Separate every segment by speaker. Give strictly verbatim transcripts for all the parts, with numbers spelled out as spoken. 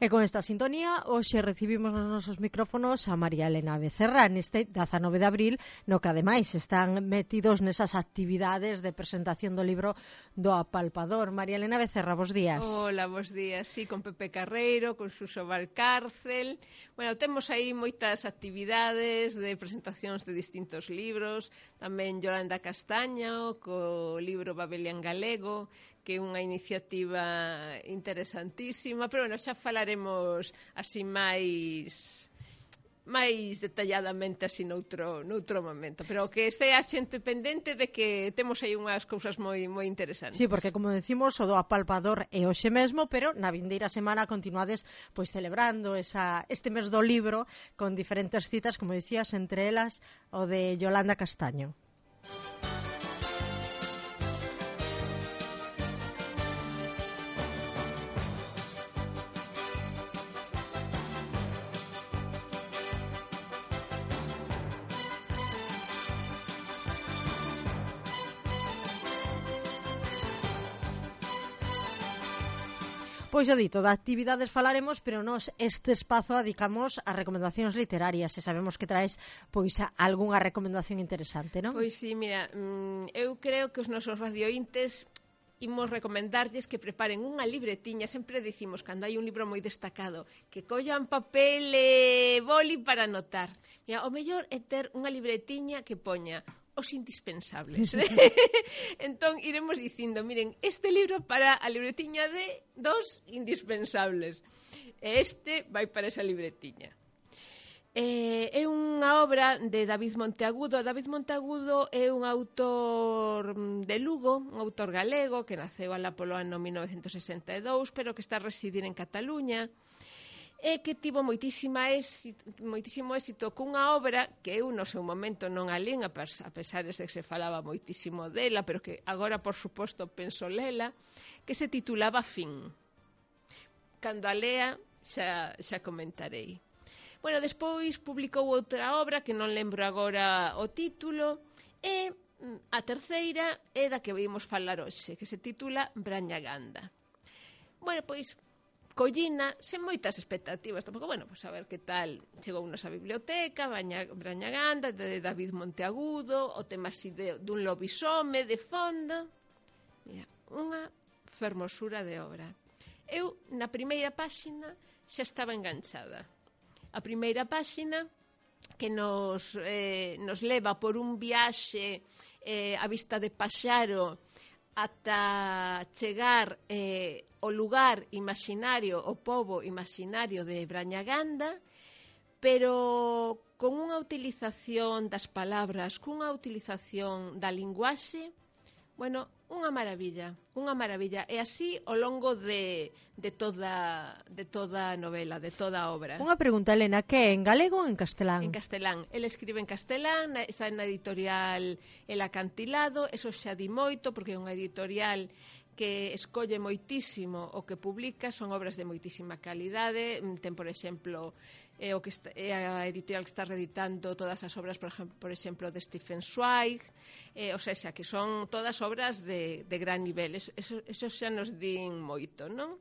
Speaker 1: E con esta sintonía, hoxe recibimos nos nosos micrófonos a María Elena Becerra neste dezanove de abril, no que ademais están metidos nesas actividades de presentación do libro do Apalpador. María Elena Becerra, bos días.
Speaker 2: Hola, bos días. Sí, con Pepe Carreiro, con Suso Valcárcel. Bueno, temos aí moitas actividades de presentacións de distintos libros. Tamén Yolanda Castaño, co libro Babelian Galego, que é unha iniciativa interesantísima, pero bueno, xa falaremos así máis máis detalladamente así noutro, noutro momento, pero que estea a xente pendente de que temos aí unhas cousas moi moi interesantes.
Speaker 1: Sí, porque como decimos, o do Apalpador é hoxe mesmo, pero na vindeira semana continuades pois celebrando esa, este mes do libro con diferentes citas, como dicías, entre elas o de Yolanda Castaño. Pois o dito, de actividades falaremos, pero nos este espazo adicamos a recomendacións literarias e sabemos que traes pois algunha recomendación interesante, non?
Speaker 2: Pois sí, mira, eu creo que os nosos radiointes imos recomendarlles que preparen unha libretiña. Sempre dicimos, cando hai un libro moi destacado, que collan papel e boli para anotar. Mira, o mellor é ter unha libretiña que poña os indispensables. Entón, iremos dicindo, miren, este libro para a libretiña de dos indispensables. E este vai para esa libretiña. Eh, é unha obra de David Monteagudo. David Monteagudo é un autor de Lugo, un autor galego que naceu alá polo ano mil novecentos sesenta e dous, pero que está a residir en Cataluña, e que tivo moitísima éxito, moitísimo éxito cunha obra que eu no seu momento non a lín, a pesar de que se falaba moitísimo dela, pero que agora, por suposto, penso lela, que se titulaba Fin. Cando a lea xa, xa comentarei. Bueno, despois publicou outra obra que non lembro agora o título, e a terceira é da que vimos falar hoxe, que se titula Brañaganda. Bueno, pois collina, sen moitas expectativas tampouco, bueno, pois a ver que tal chegou unos a biblioteca, Brañaganda de David Monteagudo, o tema así de, dun lobisome de fondo. Mira, unha fermosura de obra. Eu na primeira páxina xa estaba enganchada. A primeira páxina que nos, eh, nos leva por un viaxe eh, a vista de Paxaro ata chegar eh, o lugar imaginario, o pobo imaginario de Brañaganda, pero con unha utilización das palabras, cunha utilización da linguaxe, bueno, unha maravilla, unha maravilla. E así ao longo de, de, toda, de toda a novela, de toda a obra.
Speaker 1: Unha pregunta, Elena, que é en galego ou en castelán?
Speaker 2: En castelán. El escribe en castelán, está na editorial El Acantilado, eso xa di moito, porque é unha editorial que escolle moitísimo o que publica, son obras de moitísima calidade. Ten, por exemplo, é, o que está, é a editorial que está reeditando todas as obras, por exemplo, por exemplo de Stefan Zweig, eh, o sea, que son todas obras de, de gran nivel. Eso, eso, eso xa nos din moito, non?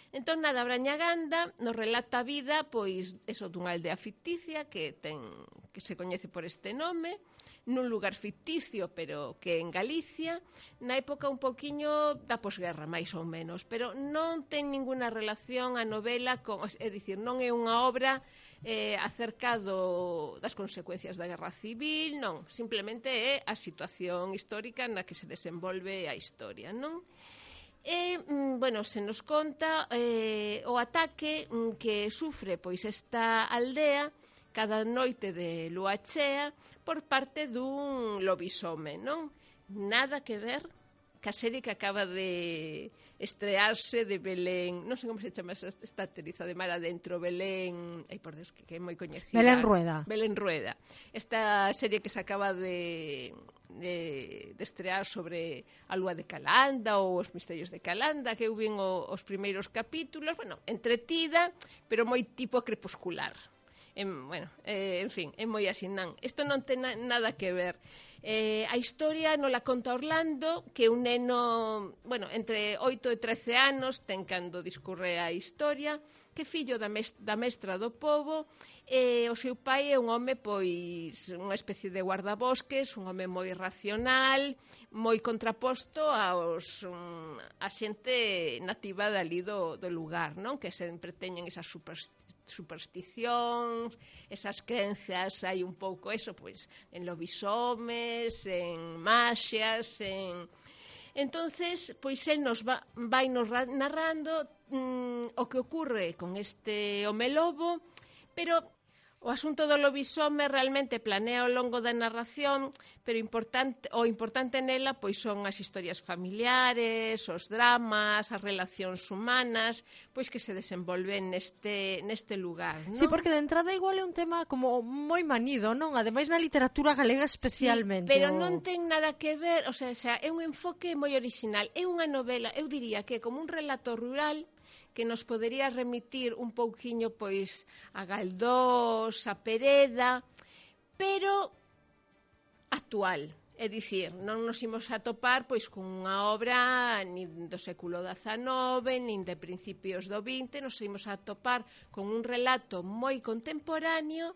Speaker 2: Entón, nada, Brañaganda nos relata a vida, pois, eso dunha aldea ficticia que ten que se coñece por este nome, nun lugar ficticio, pero que en Galicia, na época un poquiño da posguerra, máis ou menos, pero non ten ninguna relación a novela con, é dicir, non é unha obra eh, acercado das consecuencias da Guerra Civil, non, simplemente é a situación histórica na que se desenvolve a historia, non? E, bueno, se nos conta eh, o ataque que sufre pois esta aldea cada noite de lúa chea por parte dun lobisome, non? Nada que ver ca serie que acaba de estrearse de Belén, non sei como se chama esta actriz de mar adentro, Belén, ai por Deus, que, que é moi coñecida.
Speaker 1: Belén Rueda.
Speaker 2: Belén Rueda. Esta serie que se acaba de, de, de estrear sobre a lúa de Calanda ou os misterios de Calanda, que eu vin o, os primeiros capítulos, bueno, entretida, pero moi tipo crepuscular. En, bueno, eh, en fin, é moi así, non. Isto non ten na, nada que ver. Eh, a historia non la conta Orlando, que é un neno, bueno, entre oito e trece anos, ten cando discurre a historia, que é fillo da, mes da mestra do pobo, e o seu pai é un home, pois, unha especie de guardabosques, un home moi racional, moi contraposto aos um, a xente nativa dali do, do lugar, non? Que sempre teñen esas supersticións supersticións, esas crenzas, hai un pouco eso, pois, en lobisomes, en maxias, en... Entonces, pois, el nos va, vai nos narrando mm, o que ocurre con este home lobo, pero o asunto do lobisome realmente planea ao longo da narración, pero importante, o importante nela pois son as historias familiares, os dramas, as relacións humanas, pois que se desenvolven neste, neste lugar, non?
Speaker 1: Sí, porque de entrada igual é un tema como moi manido, non? Ademais na literatura galega especialmente.
Speaker 2: Sí, pero
Speaker 1: o...
Speaker 2: non ten nada que ver, o sea, xa, é un enfoque moi original, é unha novela, eu diría que é como un relato rural que nos podería remitir un pouquiño pois a Galdós, a Pereda, pero actual. É dicir, non nos imos a topar pois con unha obra nin do século dezanove, nin de principios do vinte, nos imos a topar con un relato moi contemporáneo,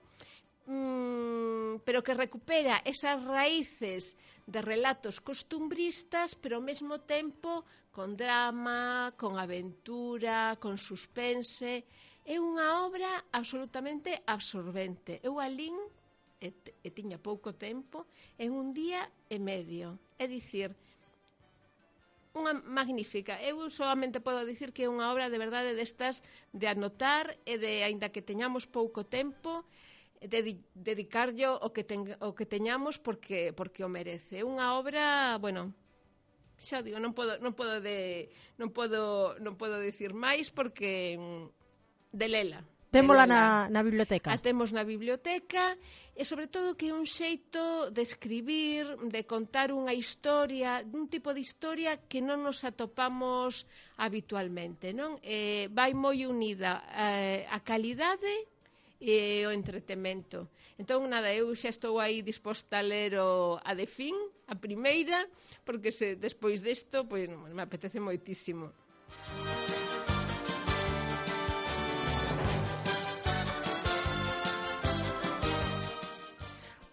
Speaker 2: Mm, pero que recupera esas raíces de relatos costumbristas, pero ao mesmo tempo con drama, con aventura, con suspense. É unha obra absolutamente absorbente. Eu alín, e, e tiña pouco tempo, en un día e medio. É dicir, unha magnífica. Eu solamente podo dicir que é unha obra de verdade destas de anotar e de, aínda que teñamos pouco tempo, de dedicarlle o que, ten, o que teñamos porque, porque o merece. É unha obra, bueno, xa digo, non podo, non podo, de, non podo, non podo dicir máis porque de lela.
Speaker 1: Témola na, na biblioteca.
Speaker 2: A temos na biblioteca e sobre todo que é un xeito de escribir, de contar unha historia, un tipo de historia que non nos atopamos habitualmente, non? Eh, vai moi unida eh, a calidade e o entretemento. Entón, nada, eu xa estou aí disposta a ler o, a de fin, a primeira, porque se despois desto, pois, me apetece moitísimo.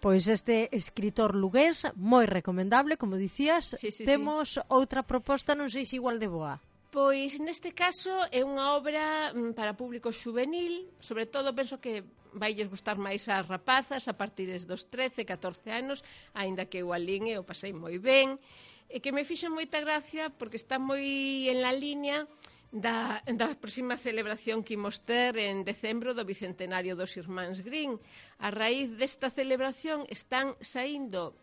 Speaker 1: Pois este escritor lugués, moi recomendable, como dicías.
Speaker 2: Sí, sí,
Speaker 1: temos
Speaker 2: sí.
Speaker 1: outra proposta, non sei se igual de boa.
Speaker 2: Pois neste caso é unha obra mm, para público xuvenil, sobre todo penso que vailles gustar máis ás rapazas a partir dos trece, catorce anos, aínda que eu alín e o pasei moi ben, e que me fixo moita gracia porque está moi en la línea da, da próxima celebración que imos ter en decembro do bicentenario dos Irmáns Green. A raíz desta celebración están saindo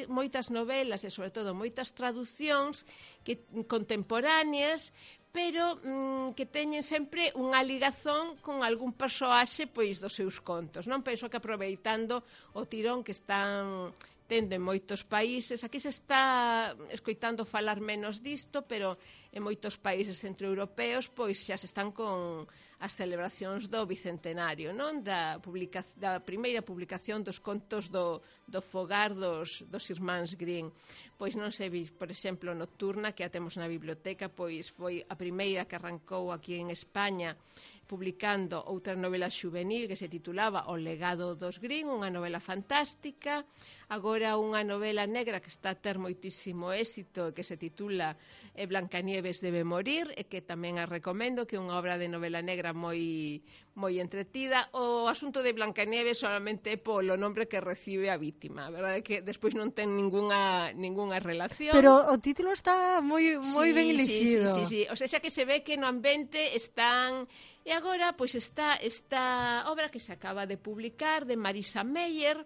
Speaker 2: moitas novelas e sobre todo moitas traducións que, contemporáneas, pero mm, que teñen sempre unha ligazón con algún persoaxe pois dos seus contos, non? Penso que aproveitando o tirón que están tendo en moitos países, aquí se está escoitando falar menos disto, pero en moitos países centroeuropeos pois xa se están con as celebracións do bicentenario, non? Da, publica, da primeira publicación dos contos do, do fogar dos, dos Irmáns Green. Pois non sei, por exemplo, Nocturna, que a temos na biblioteca, pois foi a primeira que arrancou aquí en España publicando outra novela xuvenil que se titulaba O legado dos Green, unha novela fantástica. Agora unha novela negra que está a ter moitísimo éxito, que se titula Blancanieves debe morir, e que tamén a recomendo, que é unha obra de novela negra moi moi entretida. O asunto de Blancanieves solamente é polo nombre que recibe a vítima, a verdade é que despois non ten ningunha, ningunha relación.
Speaker 1: Pero o título está moi moi
Speaker 2: sí,
Speaker 1: ben elixido.
Speaker 2: Sí, sí, sí, sí. O sea, xa que se ve que no ambiente están... E agora, pois, está esta obra que se acaba de publicar de Marisa Meyer,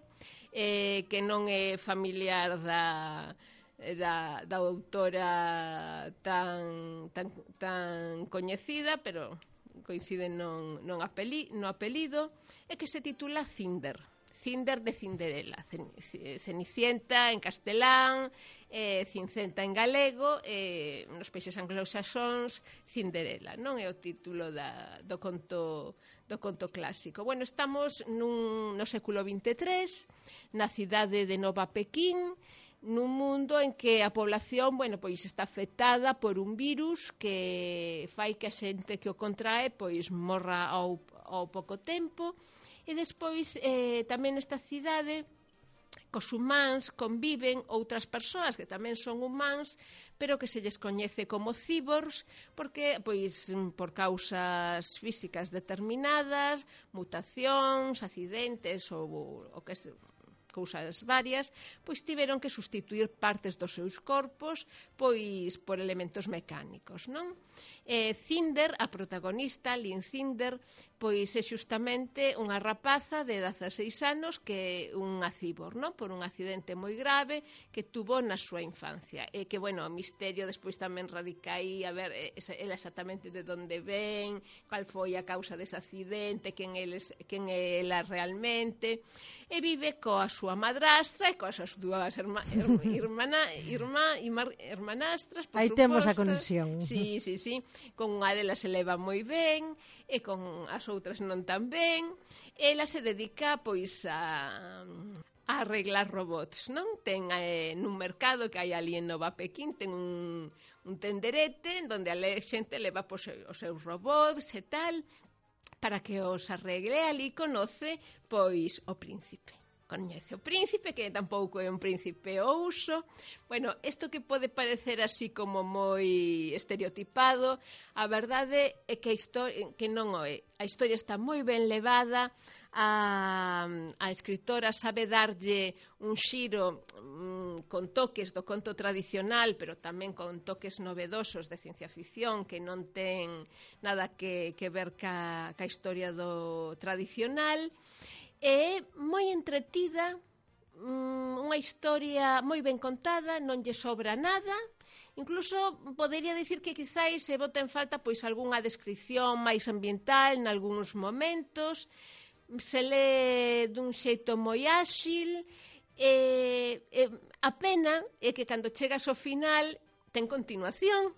Speaker 2: eh, que non é familiar da... Da, da autora tan, tan, tan coñecida, pero coinciden non, non apeli, no apelido, e que se titula Cinder. Cinder de Cinderella, Cenicienta en castelán, eh, Cincenta en galego, e eh, nos países anglosaxóns Cinderella, non é o título da, do conto do conto clásico. Bueno, estamos nun, no século vinte e tres, na cidade de Nova Pequín, nun mundo en que a población, bueno, pois está afectada por un virus que fai que a xente que o contrae pois morra ao, ao pouco tempo. E despois eh, tamén nesta cidade cos humáns conviven outras persoas que tamén son humáns, pero que se lles coñece como cyborgs, porque pois por causas físicas determinadas, mutacións, accidentes ou o que se cousas varias, pois tiveron que sustituir partes dos seus corpos pois por elementos mecánicos, non? Eh, Cinder, a protagonista, Lynn Cinder, pois é xustamente unha rapaza de dezaseis anos que é unha cibor, non? Por un accidente moi grave que tuvo na súa infancia. E que, bueno, o misterio despois tamén radica aí, a ver, ela exactamente de onde ven, cal foi a causa dese accidente, quen, eles, quen é ela realmente. E vive coa súa madrastra e coas súas dúas irma, irmana, irma, irma, hermanastras, por
Speaker 1: aí
Speaker 2: suposto.
Speaker 1: Temos a conexión.
Speaker 2: Sí, sí, sí. Con unha delas se leva moi ben e con as outras non tan ben. Ela se dedica pois a, a arreglar robots, non? Ten eh, nun mercado que hai ali en Nova Pequín, ten un, un tenderete onde a xente leva pois, os seus robots e tal, para que os arregle. Ali conoce pois o príncipe. Coñece o príncipe, que tampouco é un príncipe ouso. Bueno, isto que pode parecer así como moi estereotipado, a verdade é que, a historia, que non o é. A historia está moi ben levada, a, a escritora sabe darlle un xiro mm, con toques do conto tradicional, pero tamén con toques novedosos de ciencia ficción que non ten nada que, que ver ca, ca historia do tradicional. É moi entretida, unha historia moi ben contada, non lle sobra nada. Incluso podería dicir que quizáis se bota en falta pois algunha descripción máis ambiental nalgúns momentos. Se lé dun xeito moi áxil. E, e a pena é que cando chegas ao final ten continuación.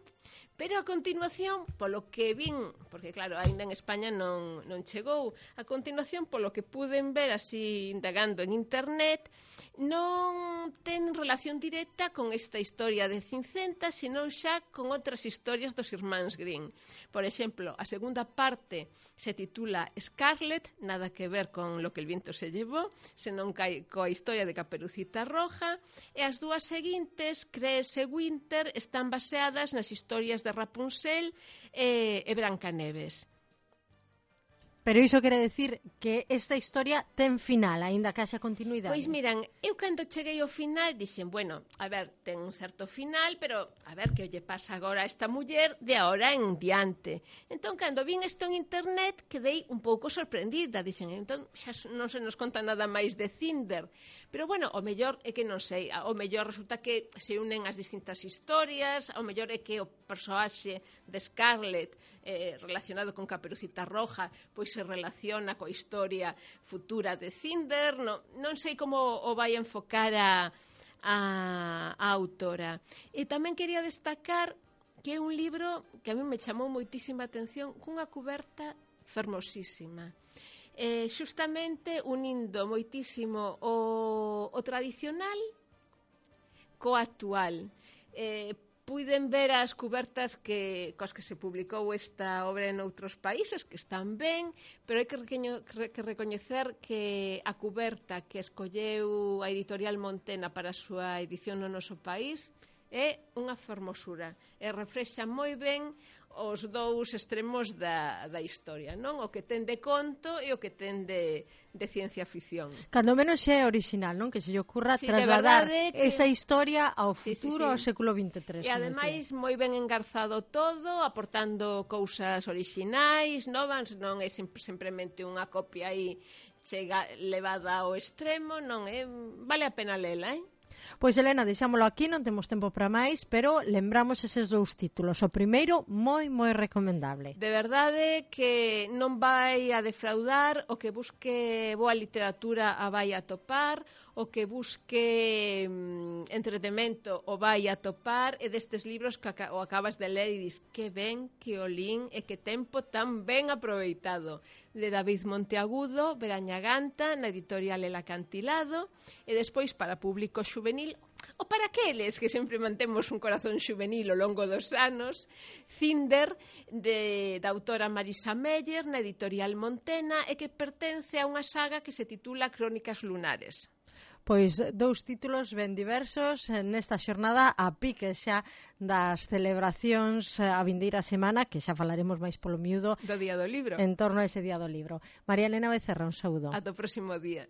Speaker 2: Pero a continuación, polo que vin, porque claro, ainda en España non, non chegou, a continuación, polo que puden ver así indagando en internet, non ten relación directa con esta historia de Cincenta, senón xa con outras historias dos irmáns Grimm. Por exemplo, a segunda parte se titula Scarlet, nada que ver con Lo que el viento se llevó, senón coa historia de Caperucita Roja, e as dúas seguintes, Cress e Winter, están baseadas nas historias de Rapunzel e, e Brancaneves.
Speaker 1: Pero iso quere decir que esta historia ten final, aínda que haxa continuidade.
Speaker 2: Pois miran, eu cando cheguei ao final dixen, bueno, a ver, ten un certo final, pero a ver que lle pasa agora a esta muller de ahora en diante. Entón, cando vin isto en internet, quedei un pouco sorprendida. Dixen, entón, xa non se nos conta nada máis de Cinder. Pero, bueno, o mellor é que non sei, o mellor resulta que se unen as distintas historias, o mellor é que o persoaxe de Scarlet eh, relacionado con Caperucita Roja, pois se relaciona coa historia futura de Cinder. Non, non sei como o vai enfocar a, a, a autora. E tamén quería destacar que é un libro que a mí me chamou moitísima atención, cunha cuberta fermosísima. Eh, xustamente unindo moitísimo o, o tradicional co actual. Eh, puiden ver as cubertas que, coas que se publicou esta obra en outros países, que están ben, pero hai que, recoño, que recoñecer que a cuberta que escolleu a editorial Montena para a súa edición no noso país é unha fermosura, e refrexa moi ben os dous extremos da, da historia, non? O que ten de conto e o que ten de, de ciencia ficción.
Speaker 1: Cando menos xa é original, non? Que se lle ocurra
Speaker 2: sí,
Speaker 1: trasladar
Speaker 2: que...
Speaker 1: esa historia ao futuro,
Speaker 2: sí, sí, sí.
Speaker 1: ao século vinte e tres.
Speaker 2: E ademais moi ben engarzado todo, aportando cousas orixinais, novas, non é simplemente unha copia aí chega levada ao extremo, non é, vale a pena lela, eh?
Speaker 1: Pois, Elena, deixámolo aquí, non temos tempo para máis, pero lembramos eses dous títulos. O primeiro, moi, moi recomendable.
Speaker 2: De verdade que non vai a defraudar, o que busque boa literatura a vai a topar, o que busque mm, entretemento o vai a topar, e destes libros que o acabas de ler e dis que ben, que olín e que tempo tan ben aproveitado. De David Monteagudo, Veraña Ganta, na editorial El Acantilado, e despois para público xuvenil, ou para aqueles que sempre mantemos un corazón xuvenil ao longo dos anos, Cinder, de, da autora Marisa Meyer, na editorial Montena, e que pertence a unha saga que se titula Crónicas Lunares.
Speaker 1: Pois dous títulos ben diversos nesta xornada a pique xa das celebracións a vindeira semana, que xa falaremos máis polo miúdo
Speaker 2: do Día do Libro,
Speaker 1: en torno a ese Día do Libro. María Elena Becerra, un saúdo.
Speaker 2: Ata o próximo día.